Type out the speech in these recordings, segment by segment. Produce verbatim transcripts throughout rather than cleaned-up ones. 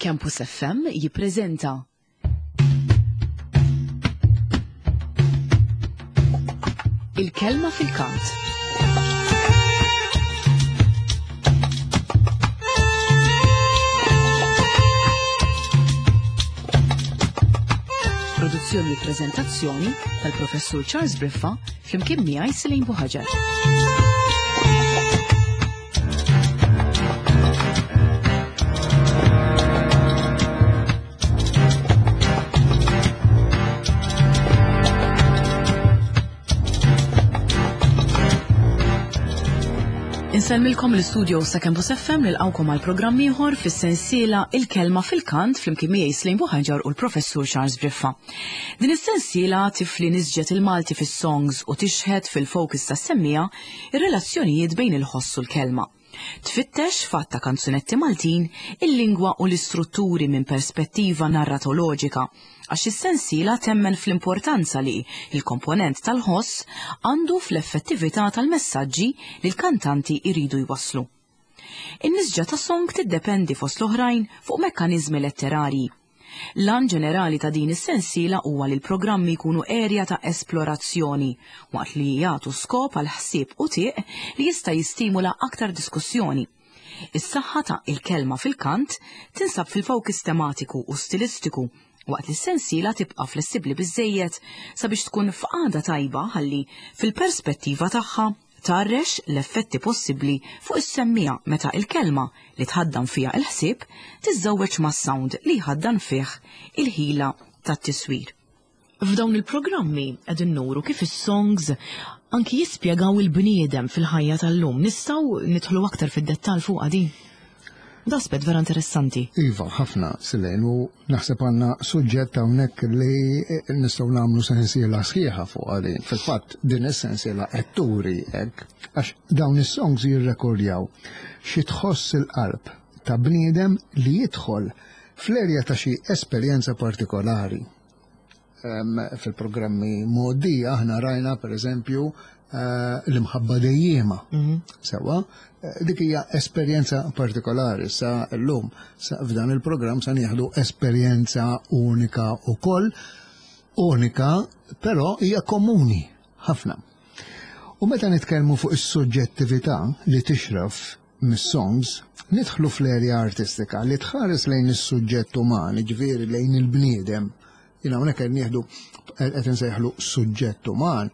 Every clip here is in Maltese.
Campus F M jippreżenta Il-Kelma fil-Kant. Produzzjoni u prezentazzjoni tal-Professur Charles Briffa flimkien miegħi, Selene Buhaġar. Insellmilkom l-istudio sa' Campus F M, nilqgħukom għal programm ieħor fis-sensiela Il-Kelma fil-Kant flimkien miegħi, Selene Buhaġar, u l-Professur Charles Briffa. Din is-sensiela tifli nisġet il-Malti fis-songs u tixħet fil-fokus tas-semmiegħa ir-relazzjonijiet bejn il-ħoss u l-kelma. Tfittex f'għadd ta' kanzunetti Maltin il-lingwa u l-istrutturi minn perspettiva narratoloġika, għax is-sensiela temmen fl-importanza li il-komponent tal-ħoss għandu fl-effettività tal-messaġġi li l-kantanti iridu jwasslu. In-nisġa ta' song tiddependi fost l-oħrajn fuq mekkaniżmi letterarji. L-għan ġenerali ta' din is-sensiela huwa li l-programmi jkunu erja ta' esplorazzjoni waqt li jagħtu skop għal ħsieb u tieq li jista' jistimula aktar diskussjoni. Is-saħħa ta' Il-Kelma fil-Kant tinsab fil-fokus tematiku u stilistiku, waqt li s-sensiela tibqa' flessibbli biżejjed sabiex tkun f'qagħda tajba ħalli fil-perspettiva tagħha tgħarrex l-effetti possibbli fuq is-semmiegħa meta il-kelma li tħaddan fiha il-ħsieb tiżżewweġ mas-sound li jħaddan fih il-ħila tat-tiswir. F'dawn il-programmi qegħdin nuru kif is-songs anki jispjegaw il-bniedem fil-ħajja tal-lum. Nistgħu nidħlu aktar fid-dettall fuq din. Da aspett vera interessanti. Iva, ħafna, Selene, u naħseb għandna suġġett hawnhekk li nistgħu nagħmlu sensiela sħiħa fuq għalin. Fil-fatt, din is-sensiela qed turi hekk, għax dawn is-songs jirrekordjaw xi tħoss il-qalb ta' bniedem li jidħol fl-erja ta' xi esperjenza partikolari. Em, Fil-programmi mgħoddija aħna rajna, per eżempju, eh, l-imħabba dejjema. Sewa, eh, dik hija esperjenza partikolari. Sa llum, sa f'dan il-programm sa nieħdu esperjenza unika ukoll, unika, però hija komuni ħafna. U meta nitkellmu fuq is-suġġettività li tixraf mis-songs, nidħlu fl-erja artistika li tħares lejn is-suġġett uman, ġifieri lejn il-bniedem. Jiena hawnhekk qed nieħdu, qed insejħlu suġġett uman,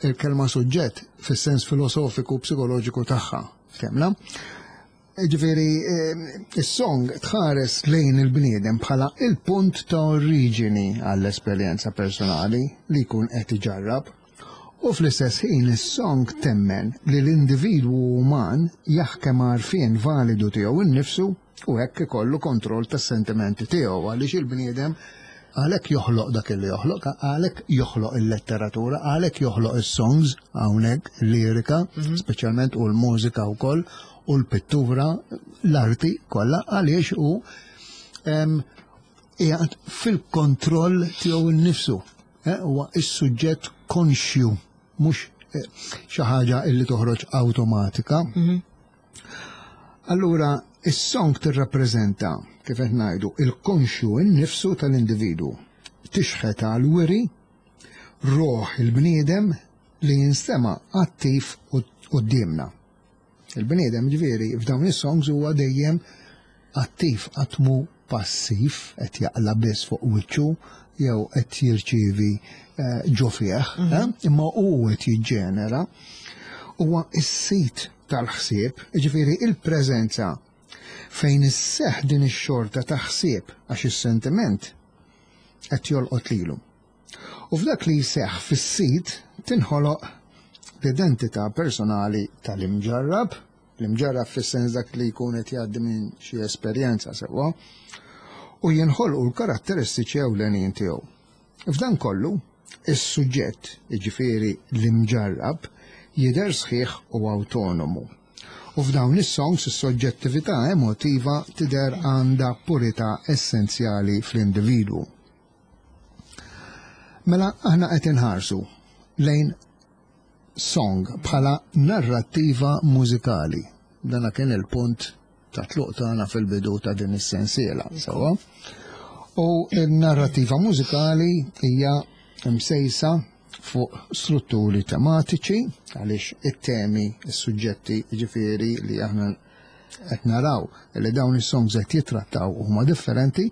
il-kelma suġġett fis-sens filosofiku u psikoloġiku tagħha. Ftemna? Ġifieri, is-song tħares lejn il-bniedem bħala il-punt ta' oriġini għall-esperjenza personali li jkun qed iġarrab. U fl-istess ħin is-song temmen li l-individwu uman jaħkem għarfien validu tiegħu innifsu u hekk ikollu kontroll tas-sentimenti tiegħu, għaliex il-bniedem għalhekk joħloq dak li joħloq, għalhekk joħloq il-letteratura, għalhekk joħloq is-songs hawnhekk, il-lirika, speċjalment, u l-mużika wkoll u l-pittura, l-arti kollha, għaliex hu em, qiegħed fil-kontroll tiegħu nnifsu. Eh, Huwa is-suġġett konxju, mhux eh, xi ħaġa illi toħroġ awtomatika. Allura, is-song tirrappreżenta, kif qed ngħidu, il-konxju innifsu tal-individwu. Tixħet għal wiri roħ il-bniedem li jinstema attiv quddiemna. Il-bniedem, ġifieri, f'dawn is-songs huwa dejjem attiv, qatt mhu passiv qed jaqla biss fuq wiċċu jew qed jirċievi eh, ġo fih, eh, imma hu qed jiġġenera. Huwa is-sit tal-ħsieb, ġifieri il-preżenza fejn isseħ din ix-xorta ta' ħsieb, għax is-sentiment qed jolqot lilu. U f'dak li jseħħ fis-sit tinħoloq l-identità personali tal-imġarrab, l-imġarrab fis-sens dak li jkun qed jgħaddi minn xi esperjenza, sewwa, u jinħolqu l-karatteristiċi ewlenin tiegħu. F'dan kollu, is-suġġett, jiġifieri l-imġarrab, jidher sħiħ u awtonomu. U f'dawn is-songs is-soġġettività emotiva tidher għandha purità essenzjali fl-individwu. Mela aħna qed inħarsu lejn song bħala narrattiva mużikali. Dana kien il-punt ta' tluq tagħna fil-bidu ta' din is-sensiela, sewwa. U n-narrativa mużikali hija msejsa fuq strutturi tematiċi, għaliex it-temi, is-suġġetti, ġifieri li aħna qed naraw li dawn is-songs qed jitrattaw huma differenti,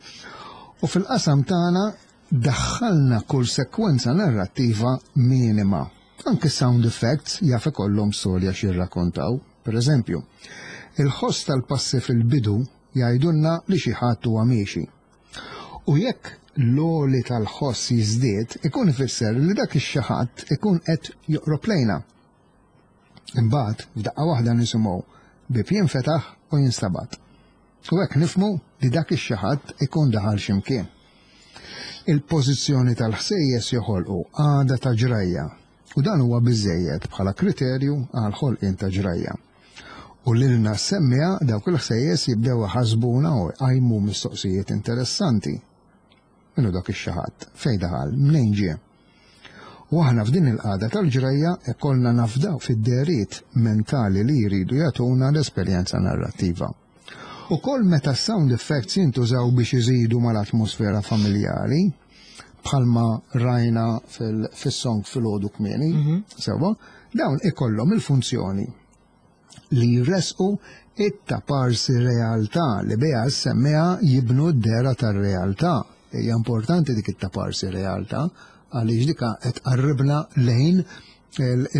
u fil-qasam tagħna daħħalna kull sekwenza narrattiva minima. Anke sound effects jaf ikollhom storja x'jirrakkontaw. Per eżempju, il-ħoss tal-passi fil-bidu jgħidulna li xi ħadd huwa miexi. U jekk l-għoli tal-ħoss jiżdied, ikun ifisser li dak ix-xi ħadd ikun qed joqrob lejna. Imbagħad f'daqqa waħda nisimgħu bieb jinfetaħ u jinstabat. U hekk nifhmu li dak ix-xi ħadd ikun daħal x'imkien. Il-pożizzjoni tal-ħsejjes joħolqu għada ta' ġrajja, u dan huwa biżejjed bħala kriterju għal ħolqien ta' ġrajja. U lilna semmija dawk il-ħsejjes jibdew iħasbuna u jqajmu mistoqsijiet interessanti. Minnu dak ix-xi ħadd, fejn daħal, mnejn ġie. U aħna f'din il-qagħda tal-ġrajja ikollna nafdaw fid-dehriet mentali li jridu jagħtuna l-esperjenza narrattiva. U kol meta sound effects jintużaw biex iżidu mal-atmosfera familjari, bħalma rajna fil-song filgħodu kmieni, sewwa, dawn ikollhom il-funzjoni li jresqu it-taparsi realtà li biha s-semmiegħa jibnu d-dehra tar-realtà. Hija importanti dik it-taparsi realtà għaliex dika qed tqarribna lejn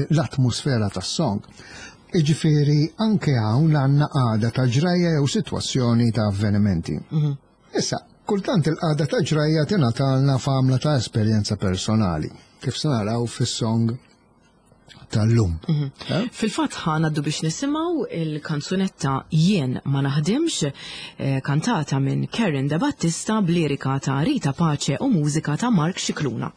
l-atmosfera tas-song. Iġifieri anke hawn għandna qagħda ta' ġrajja jew sitwazzjoni ta' avvenimenti. Issa, kultant il-qagħda ta' ġrajja tingħatalna f'għamla ta' esperjenza personali, kif se naraw fis-song tal-lum. Eh? Fil-fatt ħa ngħaddu biex nisimgħu il-kanzunetta Jien ma naħdimx, eh, kantata minn Karen De Battista b'lirika ta' Rita Pace u mużika ta' Mark Scicluna.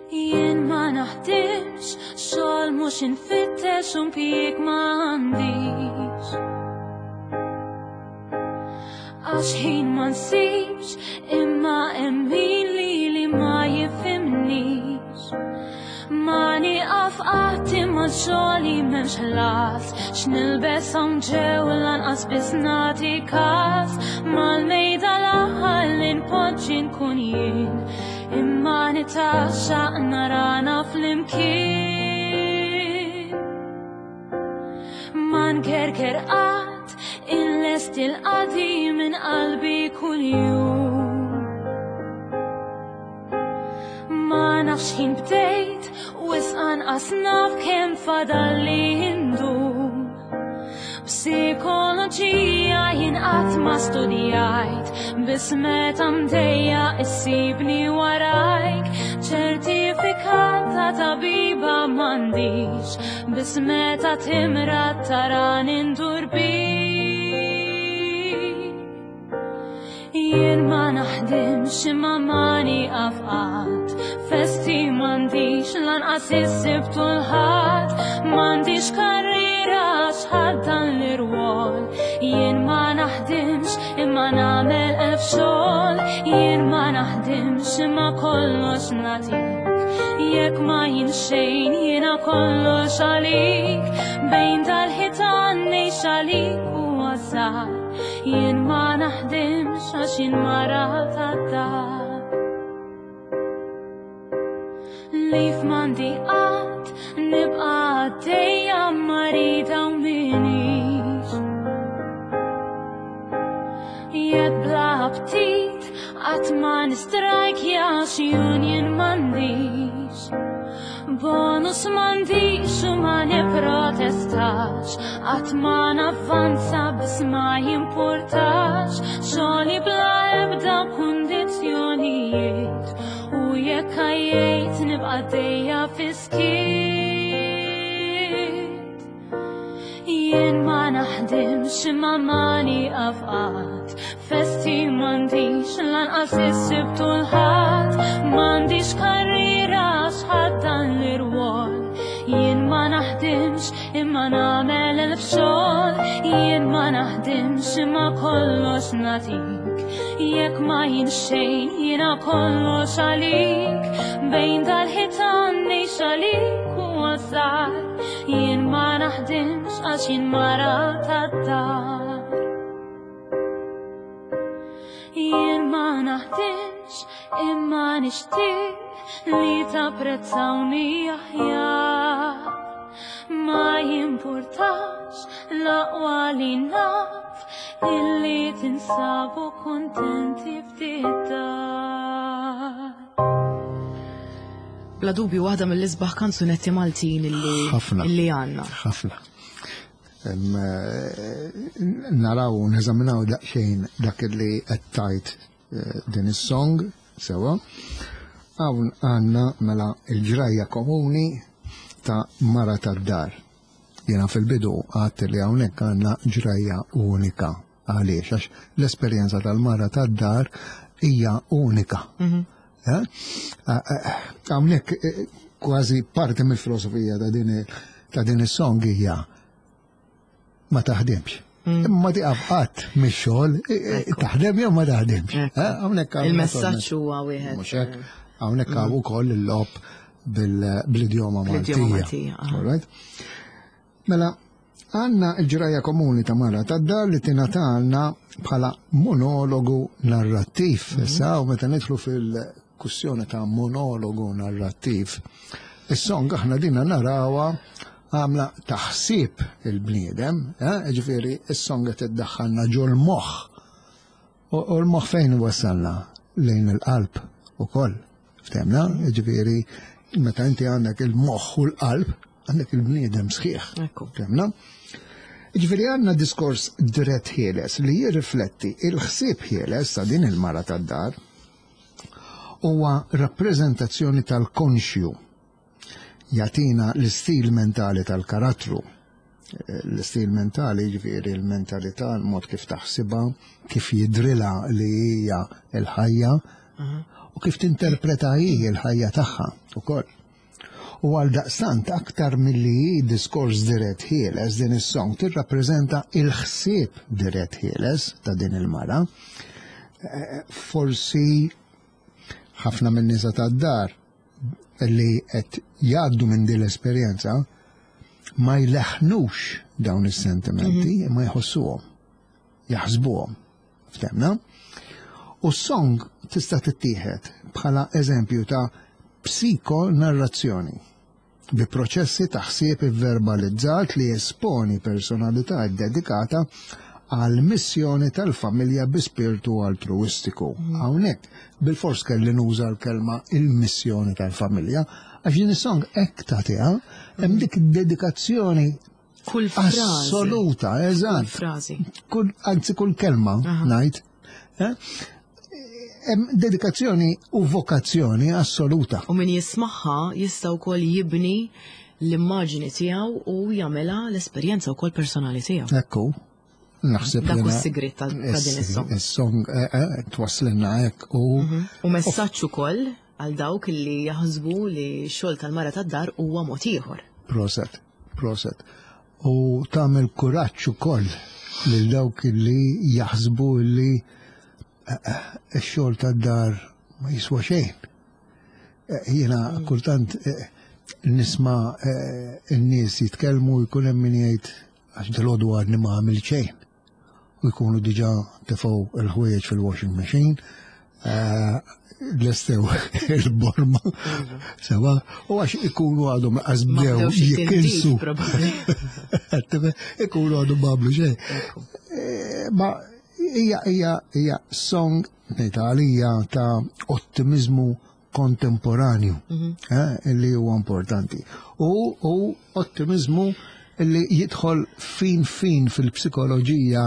Jien ma naħdimx, xogħol mhux infittex u impjieg m'għandix. Għax ħin ma nsibx, imma hemm min li li ma jifhimnix. Ma nieqaf qatt imma xogħli m'hemmx ħlas, x'nilbes hawn ġew lanqas biss nagħti każ. Mal-mejda l-aħħar li npoġġi nkun jien, imma nitaxxaq narana flimkien. Ma nkerker qatt inlesti l-qadi minn qalbi kuljum. Ma nafx ħin bdejt u anqas naf kemm fadalli indum. Psikoloġija jien qatt ma studjajt, biss meta mdejja issibni warajk. Ċertifikat ta' tabiba m'għandix, biss meta timrad tarani ndur bik. Jien ma naħdimx imma ma nieqaf qatt, festi m'għandix lanqas is-Sibt u l-Ħadd, m'għandix karriera għax ħadd dan l-irwol. Jien ma naħdimx imma nagħmel elf xogħol, jien ma naħdimx imma kollox nagħtik. Jekk ma jien xejn jiena kollox għalik, bejn dal-ħitan ngħix għalik u għażar. Jien ma naħdimx għax jien mara tad-dar. Lif m'għandi qatt nibqa' għaddejja marida u minix. Jekk bla aptit qatt ma nistrajkja għax union m'għandix. Bonus m'għandix u ma nipprotestax, qatt ma navvanza biss ma jimpurtax. Xogħli bla ebda kundizzjonijiet, u jekk għajjejt nibqa' għaddejja fis-skiet. Jien ma naħdimx imma ma nieqaf qatt, festi m'għandix lanqas is-Sibt u l-Ħadd, m'għandix karriera għax ħadd dan l-irwol. Jien ma naħdimx naħdimx imma nagħmel elf xogħol, jien ma naħdimx imma kollox nagħtik. Jekk ma jien xejn jiena kollox għalik, bejn dal-ħitan ngħix għalik u għażar. Jien ma naħdimx għax jien mara tad-dar. Jien ma naħdimx imma nixtieq li tapprezzawni aħjar. Ma jimpurtax l-aqwa li naf illi tinsabu kontenti ftit dar. Bla dubju waħda mill-isbaħ kanzunetti Maltin illi Ħafna. illi għandna. Ħafna. Em, eh, Naraw, neżaminaw daqsxejn dak li qed tgħid eh, din is-song, sewa. Hawn għandna mela il-ġrajja komuni ta' mara tad-dar. Jena fil-bidu għedt li hawnhekk għandna ġrajja unika. Għaliex, għax l-esperjenza tal-mara tad-dar hija unika. Eh? Hawnhekk eh, kważi parti mill-filosofija ta' din ta' din is-song hija ma taħdimx. Imma tieqaf qatt mix-xogħol, eh, eh, taħdem jew ma taħdimx. Ekku. Eh, Hawnhekk għandna Il-messaġġ huwa wieħed. Mhux hekk, hawnhekk hawn ukoll il-logħob bil- bl-idjoma Bl-idjoma Maltija. Maltija, aha. All right? Mela, għandna il-ġrajja komuni ta' mara tad-dar li tingħatalna bħala monologu narrattiv. Issa, u meta nidħlu fil-kwistjoni ta' monologu narrattiv, is-song aħna dina narawha għamla taħsib il-bniedem, eh? Ġifieri, is-song qed iddaħħalna ġol-moħħ. U u l-moħħ fejn wasalna? Lejn il-qalb ukoll. Ftemna? Ġifieri, meta inti għandek il-moħħ u l-qalb, għandek il-bniedem sħiħ. Ekku. Ftemna? Ġifieri għandna diskors dirett ħieles li jirrifletti il-ħsieb ħieles ta' din il-mara tad-dar huwa rappreżentazzjoni tal-konxju jagħtina l-istil mentali tal-karattru. Eh, L-istil mentali ġifieri l-mentalità, l-mod kif taħsibha, kif jidrilha li hija l-ħajja u kif tinterpreta hi l-ħajja tagħha ukoll. U għal daqstant aktar milli hi diskors dirett ħieles din is-song tirrappreżenta il-ħsieb dirett ħieles ta' din il-mara. Eh, Forsi ħafna minn nisa tad-dar li qed jgħaddu minn din l-esperjenza ma jleħnux dawn is-sentimenti, ma jħossuhom, jaħsbuhom. Ftemna? U s-song tista' tittieħed bħala eżempju ta' psikonarrazzjoni bi proċessi ta' ħsieb verbalizzat li esponi personalità dedikata għal missjoni tal-familja bi spiritu altruistiku. Hawnhekk bil-fors kelli nuża l-kelma il-missjoni tal-familja, għax din is-song hekk tagħtiha hemm dik id-dedikazzjoni Kull frażi. assoluta, Kull eżatt. frażi. Kull, anzi kull kelma ngħid. eh? Hemm dedikazzjoni u vokazzjoni assoluta. U min jismagħha jista' wkoll jibni l-immaġini tiegħu u jagħmilha l-esperjenza wkoll personali tiegħu. Ekku, naħseb Dak hu jiena- s-sigriet ta' ta' din is-song. Is-song eh, eh, twasslilna hekk u U messaġġ ukoll għal dawk li jaħsbu li x-xogħol tal-mara tad-dar huwa mod ieħor. Proset, proset. U tagħmel kuraġġ ukoll lil dawk li jaħsbu li eh, eh, ix-xogħol tad-dar ma jiswa xejn. Eh, Jiena kultant eh, nisma' eh, n-nies jitkellmu jkun hemm min jgħid għax dalgħodu għadni ma għamil xejn. U jkunu diġà tefgħu il-ħwejjeġ fil-washing machine, eh, lestew il-borma, sewa, u għax ikunu għadhom Ma għazbdew bdewx it-tindif, jikinsu. probabbli. Ikunu għadhom ma għamlu xejn. Eh, Ma hija hija hija song ngħid għalija ta' ottimizmu kontemporanju eh, li huwa importanti. U, u ottimizmu li jidħol fin fin fil-psikoloġija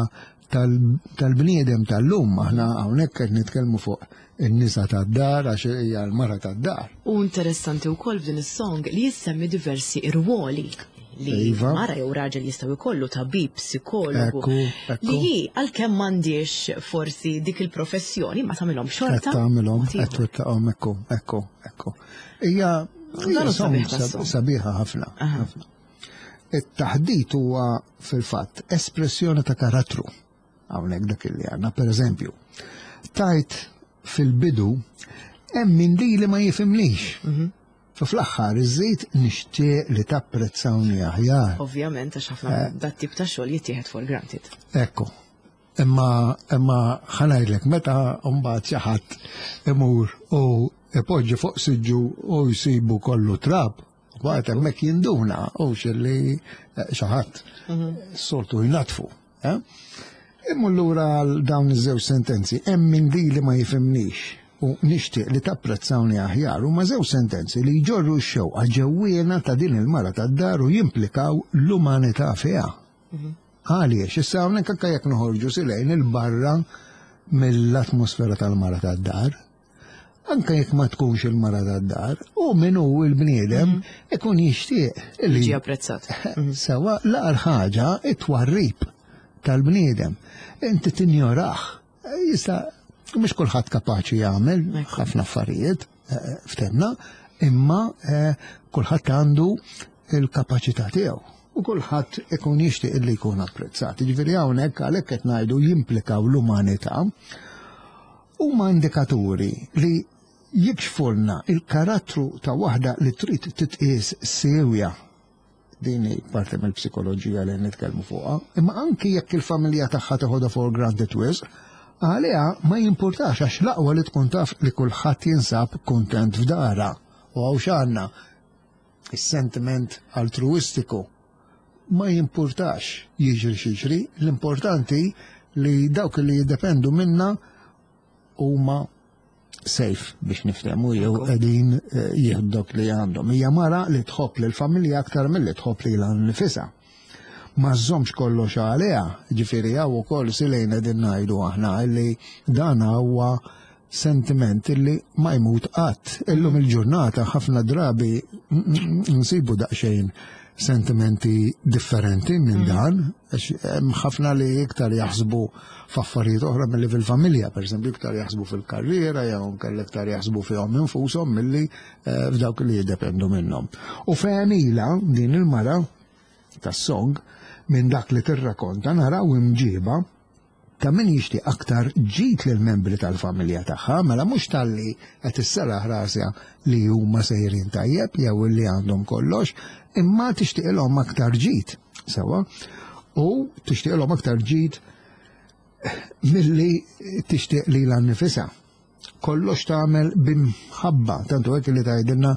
tal- tal-bniedem tal-lum. Aħna hawnhekk qed nitkellmu fuq in-nisa tad-dar għax hija l-mara tad-dar. U interessanti wkoll f'din is-song li jissemmi diversi irwoli li Iva. mara jew raġel jistgħu jkollu tabib, psikologu. Ekku, ekku. Li hi għalkemm m'għandix forsi dik il-professjoni ma tagħmilhom Qed xorta. tagħmilhom, mod qed ieħor. twettaqhom ekku, ekku, ekku. Hija Dan hija hu song sabiħ tas-song. sab- sabiħa ħafna. ħafna. It-taħdit huwa fil-fatt espressjoni ta' karattru. Hawnhekk dak li għandna, pereżempju, tajt fil-bidu hemm min li ma jifhimnix. U fl-aħħar iżid nixtieq li tapprezzawni aħjar. Ovvjament, għax ħafna dat tip ta' xogħol jittieħed for granted. Ekku. Imma imma ħa ngħidlek meta mbagħad xi ħadd imur u ipoġġi fuq siġġu u jsibu kollu trab, mbagħad hemmhekk jinduna u xilli xi ħadd soltu jnatfu. eh? Imma lura għal dawn iż-żewġ sentenzi, hemm min li ma jifhimnix u nixtieq li tapprezzawni aħjar huma żewġ sentenzi li jġorru x-xewqa ġewwiena ta' din il-mara tad-dar u jimplikaw l-umanità fiha. Għaliex, issa hawnhekk anke jekk noħorġu silejn il-barra mill-atmosfera tal-mara tad-dar, anke jekk ma tkunx il-mara tad-dar, u min hu il-bniedem ikun jixtieq li Ġi apprezzat. Sewa l-agħar ħaġa it-twarrib tal-bniedem. Inti tinjoraħ. Jista' mhux kulħadd kapaċi jagħmel ħafna affarijiet, eh, ftemna, imma eh, kulħadd għandu il-kapaċità tiegħu. U kulħadd ikun jixtieq illi jkun apprezzat. Jiġifieri hawnhekk għalhekk qed ngħidu jimplikaw l-umanità huma indikaturi li jikxfulna il-karattru ta' waħda li trid titqies sewja din hi parti mill-psikoloġija li nitkellmu fuqha, imma anki jekk il-familja tagħha teħodha for granted wisq, għaliha ma jimpurtax għax l-aqwa li tkun taf li kulħadd jinsab kuntent f'dara. U hawn x'għandna is-sentiment altruistiku ma jimpurtax jiġri x'jiġri, l-importanti li dawk li jiddependu minna huma safe biex niftehmu jew qegħdin eh, jieħdu dak li għandhom. Hija mara li tħobb lil familja aktar milli tħobb lilha nfisha. Ma żżommx kollox għaliha, ġifieri hawn ukoll silejn qegħdin ngħidu aħna li dan huwa sentiment illi ma jmut qatt. Illum il-ġurnata ħafna drabi nsibu daqsxejn sentimenti differenti minn dan, għax hemm ħafna li iktar jaħsbu f'affarijiet oħra milli fil-familja, per eżempju, iktar jaħsbu fil-karriera, jew inkella iktar jaħsbu fihom infushom milli eh, f'dawk li jiddependu minnhom. U f'għemilha din il-mara tas-song minn dak li tirrakonta naraw imġiba ta' min jixtieq aktar ġid lil membri tal-familja tagħha, mela mhux talli qed isserraħ rasha li huma sejrin tajjeb jew li għandhom kollox, imma tixtieqilhom aktar ġid, sewa, u tixtieqilhom aktar ġid milli tixtieq lilha nnifisha. Kollox tagħmel b'imħabba, tantu hekk li tgħidilna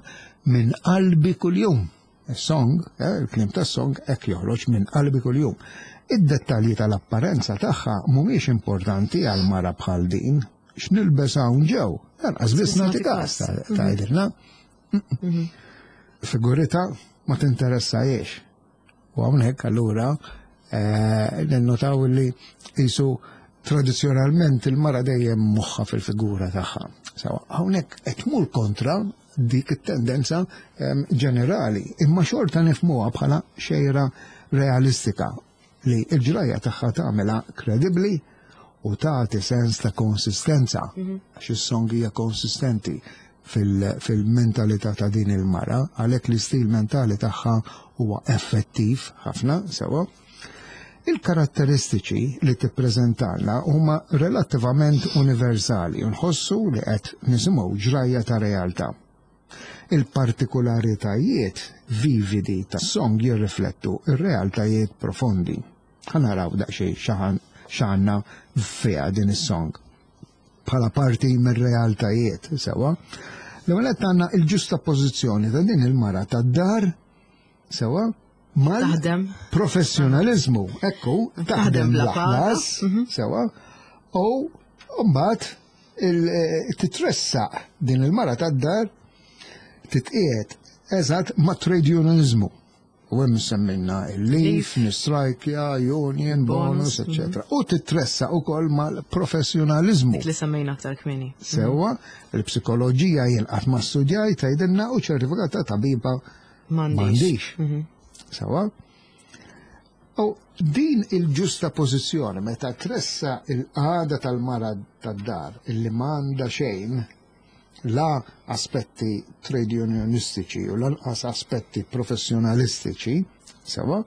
minn qalbi kuljum. Il-song, eh, il-kliem tas-song hekk joħroġ minn qalbi kuljum. Id-dettalji tal-apparenza tagħha mhumiex importanti għal mara bħal din. X'nilbes hawn ġew, lanqas biss nagħti każ tgħidilna. Figurita ma tinteressajiex. U hawnhekk allura eh, ninnotaw li qisu tradizzjonalment il-mara dejjem moħħa fil-figura tagħha. Sewa, hawnhekk qed tmur kontra dik it-tendenza em, ġenerali, imma xorta nifhmuha bħala xejra realistika li l-ġrajja tagħha tagħmilha kredibbli u tagħti sens ta' konsistenza għax is-song hija konsistenti fil- fil-mentalità ta' din il-mara, għalhekk l-istil mentali tagħha huwa effettiv ħafna sewa. Il-karatteristiċi li tippreżentalna huma relattivament universali u nħossu li qed nisimgħu ġrajja ta' realtà. Il-partikolaritajiet vividi tas-song jirriflettu ir-realtajiet profondi. Ħa naraw daqsxejn x'aħan x'għandna fiha din is-song bħala parti mir-realtajiet sewa. L-ewwel qed għandna il-ġusta pożizzjoni ta' din il-mara tad-dar sewa mal Taħdem. professjonalizmu, ekku, taħdem bla bla ħlas, paga. sewa, u mbagħad il- eh, titressaq din il-mara tad-dar titqiegħed eżatt ma' trade unionizmu. U hemm semmejna il-leave, nistrajkja, union, bonus, Bonus, eccetera. U titressaq ukoll mal-professjonalizmu. Dik li semmejna aktar kmieni. Sewa, il-psikoloġija jien qatt ma studjajt tgħidilna u ċertifikat ta' tabiba M'għandix. m'għandix. Sewa. U din il-ġusta pożizzjoni meta tressa il-qagħda tal-mara tad-dar illi m'għandha xejn La aspetti trade unionistiċi u lanqas aspetti professjonalistiċi, sewwa,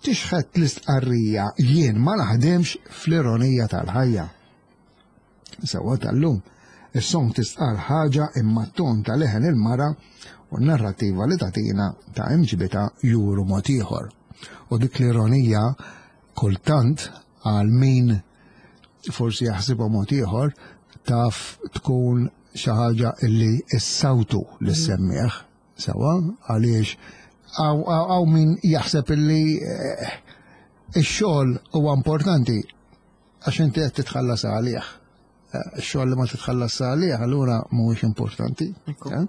tixħet l-istqarrija "jien ma naħdemx" fl-ironija tal-ħajja. Sewwa tal-lum, is-song tistqar ħaġa, imma t-ton ta' leħen il-mara u n-narrativa li tatina ta' imġibita juru mod ieħor. U dik l-ironija kultant, għal min forsi jaħsibha mod ieħor, taf tkun xi ħaġa illi issawtu lis-semmiegħ, sewwa, għaliex hawn min jaħseb illi eh, ix-xogħol huwa importanti għax inti qed titħallas għalih. Eh, Ix-xogħol li ma titħallas għalih allura mhuwiex importanti. Eh?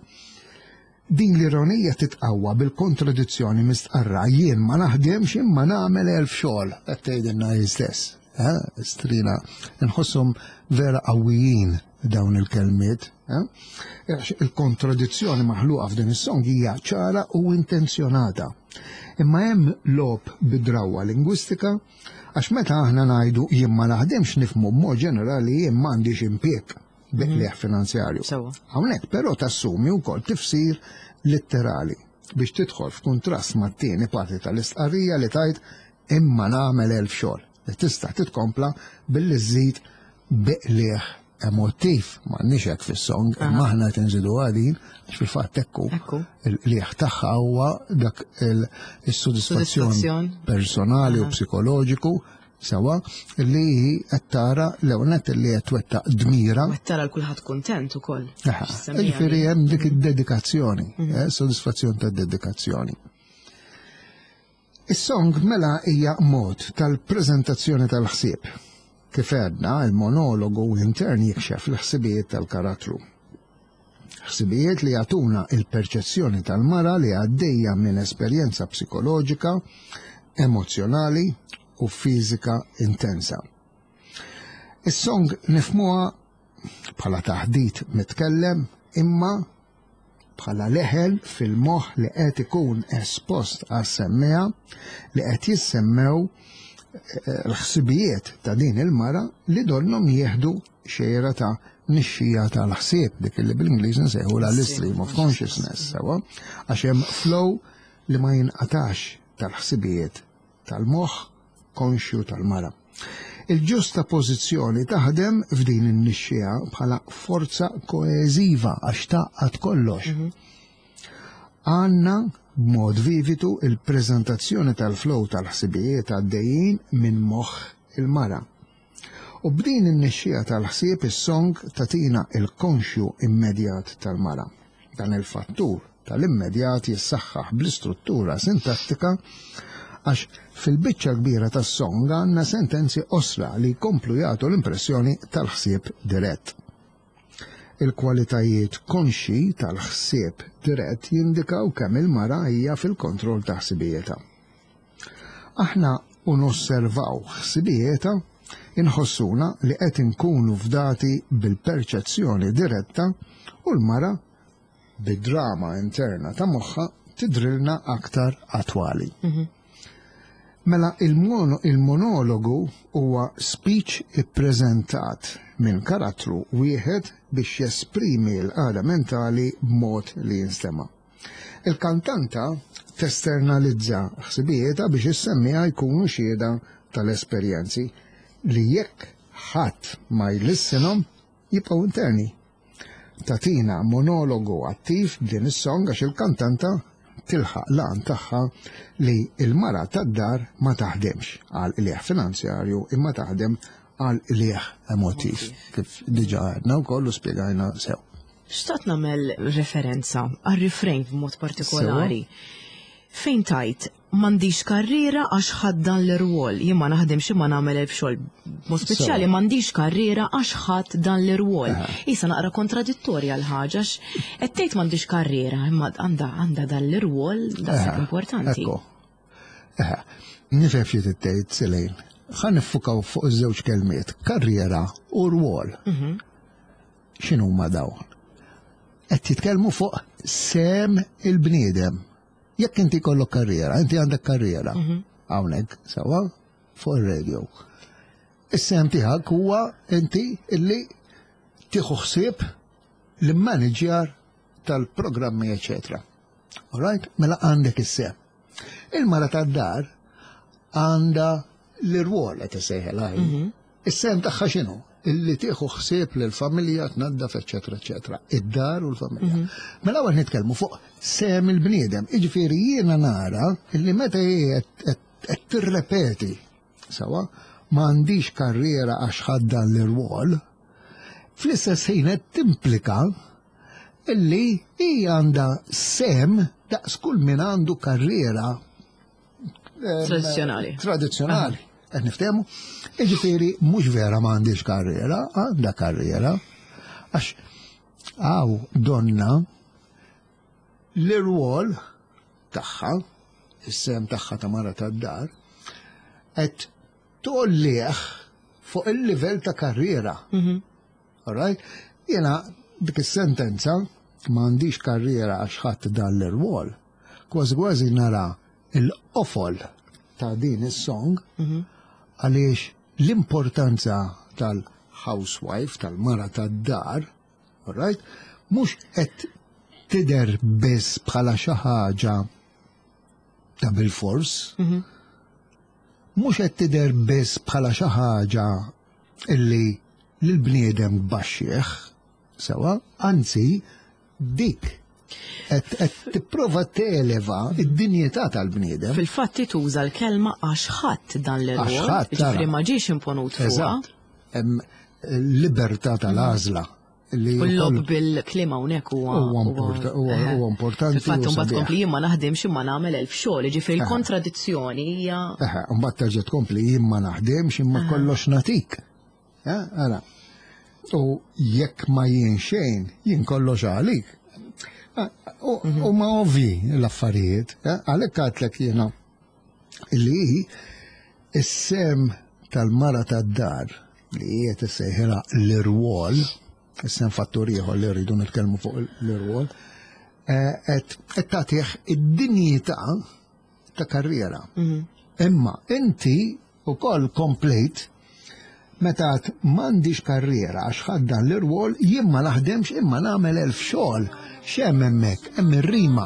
Din l-ironija titqawwa bil-kontradizzjoni mistqarra "jien ma naħdemx imma nagħmel elf xogħol", qed tgħidilna hi stess. Eh? Strina, nħosshom vera qawwijin dawn il-kelmiet. eh? Għax il-kontradizzjoni maħluqa f'din is-song hija ċara u intenzjonata. Imma hemm logħob bid-drawwa lingwistika, għax meta aħna ngħidu "jien ma naħdemx" nifhmu b'mod ġenerali jien m'għandix impjieg bi qligħ finanzjarju. Sewwa. Hawnhekk però tassumi wkoll tifsir litterali biex tidħol f'kuntrast mat-tieni parti tal-istqarrija li tgħid "imma nagħmel elf xogħol", li tista' titkompla billi żżid "bi qligħ emotiv". M'għandniex hekk fis-song, imma aħna qed inżidu għadin għax fil-fatt ekku Ekku. il-qligħ tagħha huwa dak il- is-sodisfazzjon Sodisfazzjon. personali u psikoloġiku, sewwa, li hi qed tara l-ewwel li qed twettaq dmira. U tara l-kulħadd kuntent ukoll. Aha, ġifieri hemm dik id-dedikazzjoni, eh, sodisfazzjon ta' dedikazzjoni. Is-song mela hija mod tal-preżentazzjoni tal-ħsieb. Kif għedna, il-monologu intern jikxef l-ħsibijiet tal-karattru. Ħsibijiet li jagħtuna il-perċezzjoni tal-mara li għaddejja minn esperjenza psikoloġika, emozjonali u fiżika intensa. Is-song nifhmuha bħala taħdit mitkellem, imma bħala leħel fil-moħ li qed ikun espost għas-semmiegħa, li qed jissemmew eh, l-ħsibijiet ta' din il-mara li donnhom jieħdu xejra ta' nixxija tal-ħsieb, dik li bil-Ingliż nsejħu la l-stream of consciousness, sewwa, għax hemm flow li ma jinqatax tal-ħsibijiet tal-moħħ konxju tal-mara. Il-ġustapożizzjoni taħdem f'din in-nixxija bħala forza koeżiva għax tgħaqqad kollox. Għandna b'mod vivitu il-preżentazzjoni tal-flow tal-ħsibijiet għaddejjin minn moħħ il-mara. U b'din in-nixxija tal-ħsieb is-song tatina il-konxju immedjat tal-mara. Dan il-fattur tal-immedjat jissaħħaħ bl-istruttura sintattika, għax fil-biċċa kbira tas-song għandna sentenzi qosra li jkomplu jagħtu l-impressjoni tal-ħsieb dirett. Il-kwalitajiet konxi tal-ħsieb dirett jindikaw kemm il-mara hija fil-kontroll ta' ħsibijietha. Aħna u nosservaw ħsibijietha inħossuna li qed inkunu fdati bil-perċezzjoni diretta u l-mara bid-drama interna ta' moħħa tidrilna aktar attwali. Mela il-mono, il-monologu huwa speech ippreżentat minn karattru wieħed biex jesprimi l-qagħda mentali b'mod li jinstema'. Il-kantanta testernalizza ħsibijietha biex is-semmiegħa jkunu xhieda tal-esperjenzi li jekk ħadd ma jlissinhom jibqgħu interni. Tatina monologu attiv b'din is-song għax il-kantanta tilħaq l-għan tagħha li il-mara tad-dar ma taħdemx għal qligħ finanzjarju imma taħdem għal qligħ emotiv, kif diġa għedna wkoll u spjegajna sew. Xtaqt nagħmel referenza għal-refrain b'mod partikolari. Fejn tgħid "m'għandix karriera għax ħadt dan l-irwol", jien ma naħdemx imma nagħmel elf xogħol. Mod speċjali "m'għandix karriera għax ħadt dan l-irwol". Isa naqra kontradittorja l-ħaġa, qed tgħid m'għandix karriera imma għandha għandha dan l-irwol daqshekk importanti. Ekku. Eħe, nifhem xi tgħid, Selejn. Ħa niffukaw fuq iż-żewġ kelmiet, karriera u rwol. X'inhuma dawn? Qed titkellmu fuq sehem il-bniedem. Jekk inti kollok karriera, inti għandek karriera. Hawnhekk, sewwa, fuq ir-radio. Is-sehem tiegħek huwa inti illi tieħu ħsieb l-manager tal-programmi, eccetera. Alright? Mela għandek is-sehem. Il-mara tad-dar għandha l-irwol qed issejħilha hi. Is-sehem tagħha x'inhu? Illi tieħu ħsieb lill-familja, tnaddaf, eċetera, eċetera. Id-dar u l-familja. Mela hawn nitkellmu fuq sehem il-bniedem. Jiġifieri jiena nara illi meta hi qed qed tirrepeti sawa m'għandix karriera għax ħadt dan l-irwol, fl-istess ħin qed timplika illi hija għandha sehem daqs kull min għandu karriera em, Tradizzjonali. Tradizzjonali. Qed niftehmu? Jiġifieri mhux vera m'għandix karriera, għandha karriera. Għax hawn donna l-irwol tagħha, is-sehem tagħha ta' mara tad-dar, qed tgħollih fuq il-livell ta' karriera. Alright? Jena dik is-sentenza m'għandix karriera għax ħadt dan l-irwol. Kważi kważi nara il-qofol ta' din is-song għaliex l-importanza tal-housewife, tal-mara tad-dar, alright, mhux qed tidher biss bħala xi ħaġa ta' bil-fors, mhux qed tidher biss bħala xi ħaġa illi l-bniedem baxxieħ, sewa, anzi dik qed qed tipprova televa id-dinjità tal-bniedem. Fil-fatt tuża l-kelma għax ħadt dan l-irwol, Għax ħadd, ġifieri tara. ma ġiex imponut fuqha. Eżatt. Hemm libertà tal-għażla li U l-logħob wkoll bil-kliem hawnhekk huwa Huwa import- huwa- eħe. huwa importanti Fil-fatt u imbagħad sabiħ. tkompli jien ma naħdimx imma nagħmel elf xogħol, jiġifieri l-kontradizzjoni hija Eħe, mbagħad terġa' tkompli jien ma naħdimx imma kollox natik. Eh, Ara. U jekk ma jien xejn, jien kollox għalik. Ah, U u ma ovvi l-affarijiet, eh, għalhekk għedtlek jiena li is-sehem tal-mara tad-dar li hija tissejħilha l-irwol, is-sehem fattur ieħor li rridu nitkellmu fuq l-irwol, eh, qed qed tagħtih id-dinjità ta' karriera. Imma inti ukoll komplejt meta għedt m'għandix karriera għax ħadt dan l-irwol jien ma naħdemx imma nagħmel elf xogħol. X'hemm hemmhekk? Hemm ir-rima.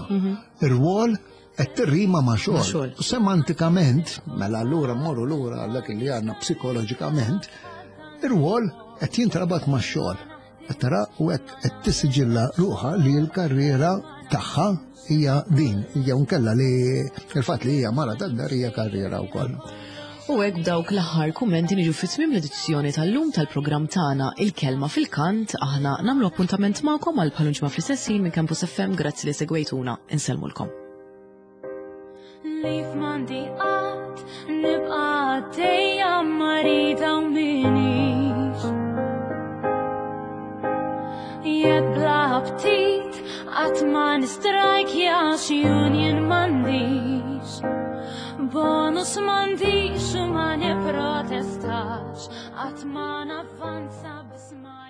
Ir-rwol qed tirrima ma' xogħol. xogħol. Semantikament, mela allura mmorru lura għal dak li għandna psikoloġikament, ir-rwol qed jintrabat ma' xogħol. Qed tara u hekk qed tissiġilla ruħha li l-karriera tagħha hija din, hija nkella li il-fatt li hija mara tad-dar hija karriera wkoll. U hekk b'dawk l-aħħar kummenti niġu fi tmiem l-edizzjoni tal-lum tal-programm tagħna Il-Kelma fil-Kant. Aħna nagħmlu appuntament magħkom għal bħal ġimgħa fl-istess ħin minn Campus F M. Grazzi li segwejtuna. Insellmulkom. Leave m'għandi qatt nibqa' għaddejja marida u minix. Jekk bla aptit qatt ma nistrajkja xi union m'għandix. Bonus m'għandix u ma nipprotestax, qatt ma navvanza biss ma